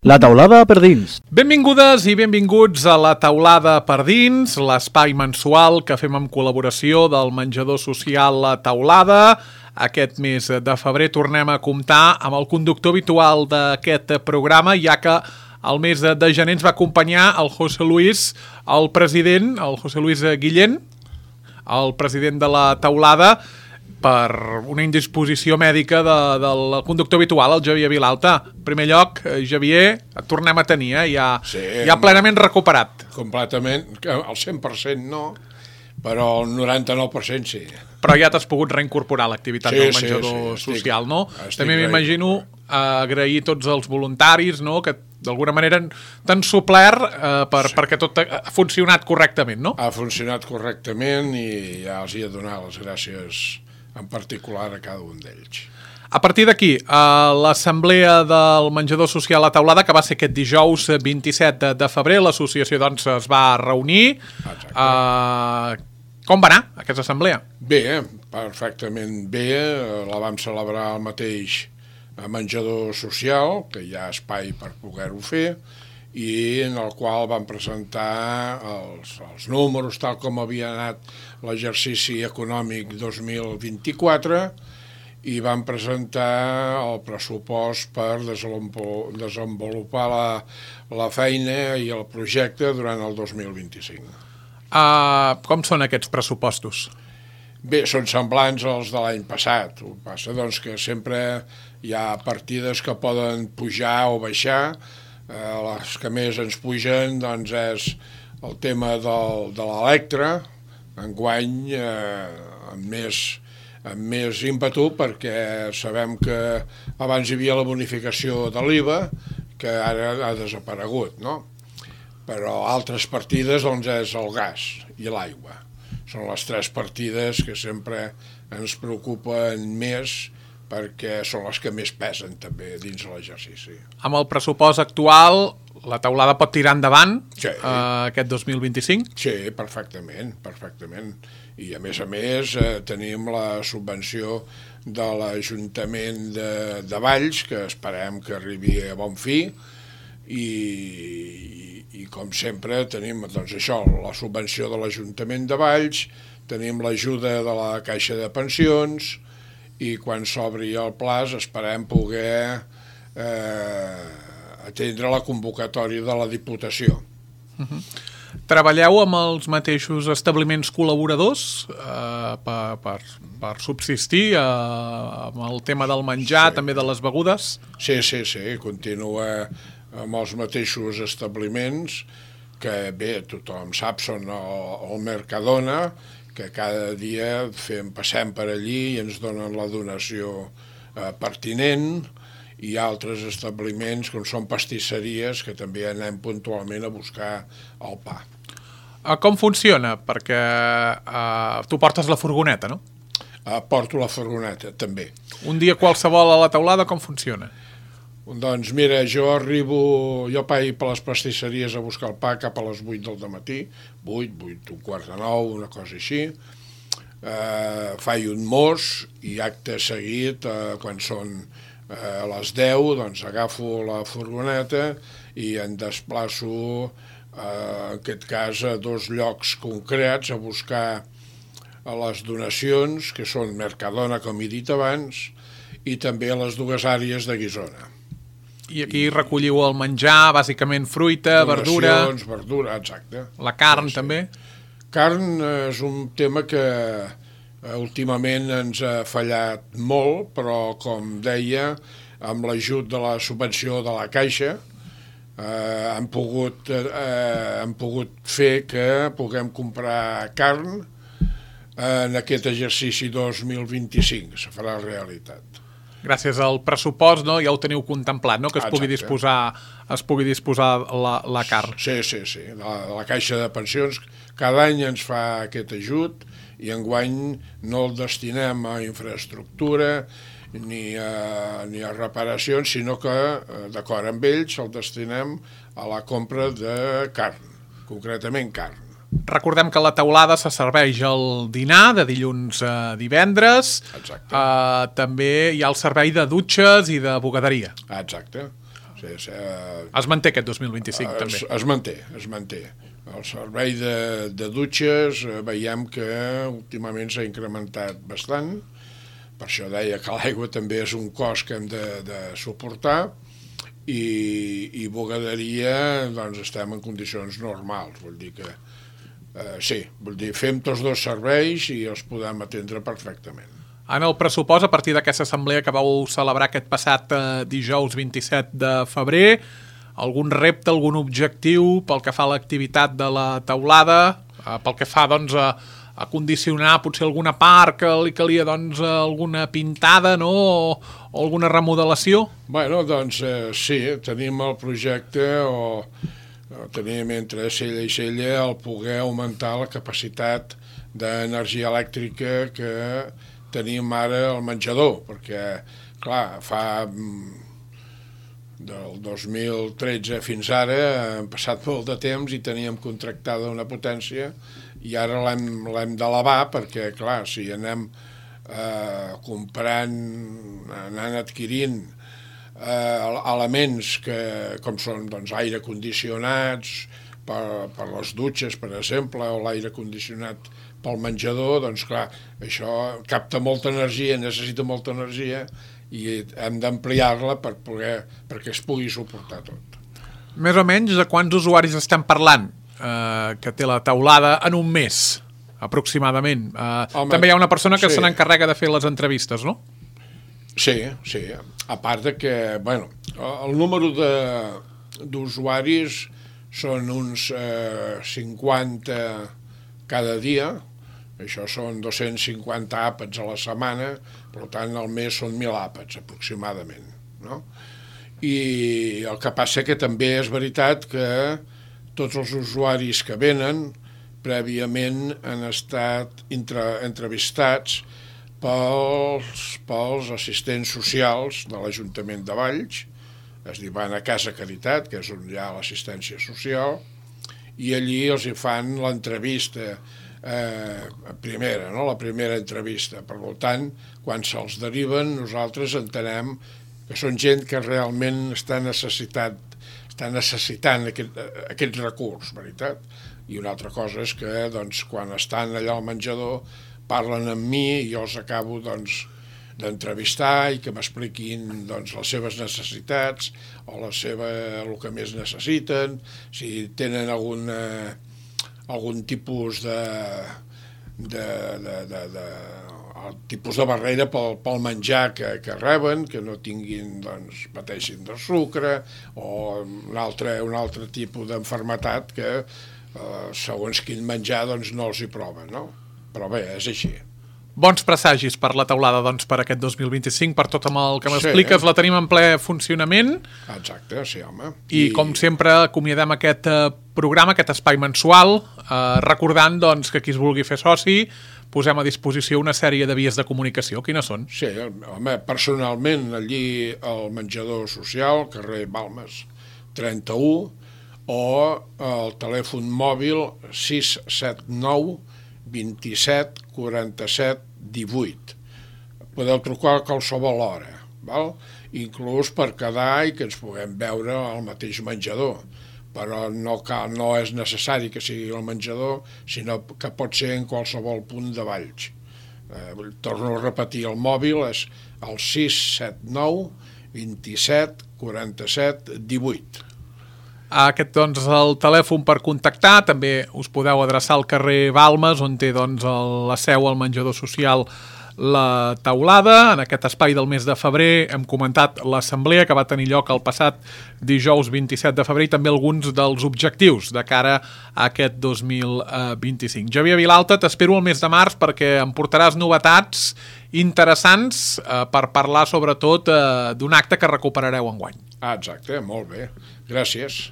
La taulada per dins. Benvingudes i benvinguts a La taulada per dins, l'espai mensual que fem en col·laboració del menjador social La Taulada. Aquest mes de febrer tornem a comptar amb el conductor habitual d'aquest programa, ja que el mes de gener ens va acompanyar el José Luis, el president, el José Luis Guillén, el president de La Taulada, per una indisposició mèdica del conductor habitual, el Javier Vilalta. En primer lloc, Javier, et tornem a tenir, ja plenament recuperat. Completament, al 100% no, però el 99% sí. Però ja t'has pogut reincorporar a l'activitat del menjador social, no? També m'imagino agrair tots els voluntaris, no?, que d'alguna manera t'han suplert perquè tot ha funcionat correctament, no? Ha funcionat correctament i ja els he de donar les gràcies en particular a cada un d'ells. A partir d'aquí, l'assemblea del menjador social La Taulada, que va ser aquest dijous 27 de febrer, l'associació doncs es va reunir. Com va anar aquesta assemblea? Bé, perfectament bé. La vam celebrar al mateix menjador social, que hi ha espai per poder-ho fer, i en el qual vam presentar els números tal com havia anat l'exercici econòmic 2024 i vam presentar el pressupost per desenvolupar la feina i el projecte durant el 2025. Com són aquests pressupostos? Bé, són semblants als de l'any passat. El que passa doncs, que sempre hi ha partides que poden pujar o baixar. Les que més ens pugen doncs, és el tema de l'Electra, enguany amb més ímpetu, perquè sabem que abans hi havia la bonificació de l'IVA, que ara ha desaparegut, no? Però altres partides doncs, és el gas i l'aigua. Són les tres partides que sempre ens preocupen més, perquè són les que més pesen també dins l'exercici. Amb el pressupost actual, La Taulada pot tirar endavant aquest 2025? Sí, perfectament. I a més tenim la subvenció de l'Ajuntament de Valls, que esperem que arribi a bon fi, i com sempre tenim doncs, això, la subvenció de l'Ajuntament de Valls, tenim l'ajuda de la Caixa de Pensions, i quan s'obri el plaç esperem poder atendre la convocatòria de la Diputació. Treballeu amb els mateixos establiments col·laboradors per subsistir amb el tema del menjar, també de les begudes? Sí, continua amb els mateixos establiments que bé, tothom sap, són el Mercadona, que cada dia passem per allí i ens donen la donació pertinent, i altres establiments com són pastisseries que també anem puntualment a buscar el pa. Com funciona? Perquè tu portes la furgoneta, no? Porto la furgoneta, també. Un dia qualsevol a La Taulada, com funciona? Doncs mira, jo vaig per les pastisseries a buscar el pa cap a les 8 del matí, 8, un quart de 9, una cosa així. Faig un mos i acte seguit, quan són a les 10, doncs agafo la furgoneta i em desplaço, en aquest cas, a 2 llocs concrets a buscar les donacions, que són Mercadona, com he dit abans, i també a les 2 àrees de Guissona. I aquí recolliu el menjar, bàsicament fruita, verdura... Donacions, verdura, exacte. La carn, també? Carn és un tema que últimament ens ha fallat molt, però, com deia, amb l'ajut de la subvenció de la Caixa, hem pogut fer que puguem comprar carn en aquest exercici 2025, se farà realitat. Gràcies al pressupost, no? Ja ho teniu contemplat, no? Que es pugui disposar la carn. Sí. La Caixa de Pensions cada any ens fa aquest ajut i enguany no el destinem a infraestructura ni a reparacions, sinó que, d'acord amb ells, el destinem a la compra de carn, concretament carn. Recordem que La Taulada se serveix el dinar de dilluns a divendres. Exacte. També hi ha el servei de dutxes i de bugaderia. Exacte. Es manté aquest 2025, també. Es manté. El servei de dutxes veiem que últimament s'ha incrementat bastant. Per això deia que l'aigua també és un cost que hem de suportar, i bugaderia doncs estem en condicions normals, vull dir que fem tots dos serveis i els podem atendre perfectament. En el pressupost, a partir d'aquesta assemblea que vau celebrar aquest passat dijous 27 de febrer, algun repte, algun objectiu pel que fa a l'activitat de la teulada, pel que fa doncs, a condicionar potser alguna part que li calia doncs, alguna pintada, no? O alguna remodelació? Bueno, doncs sí, tenim el projecte tenim entre cella i cella el poder augmentar la capacitat d'energia elèctrica que tenim ara al menjador, perquè, clar, del 2013 fins ara han passat molt de temps i teníem contractada una potència i ara l'hem d'elevar perquè, clar, si anem comprant, anant adquirint elements com són doncs, aire condicionats per les dutxes, per exemple, o l'aire condicionat pel menjador, doncs clar, això capta molta energia, necessita molta energia i hem d'ampliar-la perquè es pugui suportar tot. Més o menys de quants usuaris estem parlant que té la teulada en un mes, aproximadament? També hi ha una persona que se n'encarrega de fer les entrevistes, no? Sí. A part de que, bueno, el número d'usuaris són uns 50 cada dia, això són 250 àpats a la setmana, per tant al mes són 1.000 àpats aproximadament, no? I el que passa que també és veritat que tots els usuaris que venen prèviament han estat entrevistats pels assistents socials de l'Ajuntament de Valls, es diu van a Casa Caritat, que és on hi ha l'assistència social, i allí els hi fan l'entrevista primera, no? La primera entrevista. Per tant, quan se'ls deriven, nosaltres entenem que són gent que realment està necessitant aquest recurs, veritat? I una altra cosa és que doncs, quan estan allà al menjador parlen amb mi i jo els acabo d'entrevistar i que m'expliquin doncs, les seves necessitats o el que més necessiten, si tenen algun tipus tipus de barrera pel menjar que reben, que no tinguin, doncs, pateixin de sucre o un altre tipus d'enfermetat que segons quin menjar doncs, no els hi prova, no? Però bé, és així. Bons presagis per la teulada doncs, per aquest 2025, per tot amb el que m'expliques, la tenim en ple funcionament. Exacte, sí, home. I com sempre acomiadem aquest programa, aquest espai mensual, recordant doncs, que qui es vulgui fer soci posem a disposició una sèrie de vies de comunicació. Quines són? Sí, home, personalment allí al menjador social, carrer Balmes 31, o el telèfon mòbil 679 27 47 18. Podeu trucar a qualsevol hora, val? Inclús per quedar i que ens puguem veure al mateix menjador, però no és necessari que sigui al menjador, sinó que pot ser en qualsevol punt de Valls. Torno a repetir, el mòbil és el 679 27 47 18. Aquest doncs, el telèfon per contactar. També us podeu adreçar al carrer Balmes, on té doncs, la seu al menjador social La Teulada. En aquest espai del mes de febrer hem comentat l'assemblea que va tenir lloc el passat dijous 27 de febrer i també alguns dels objectius de cara a aquest 2025. Xavier Vilalta, t'espero el mes de març perquè em portaràs novetats interessants per parlar sobretot d'un acte que recuperareu enguany. Exacte, molt bé. Gràcies.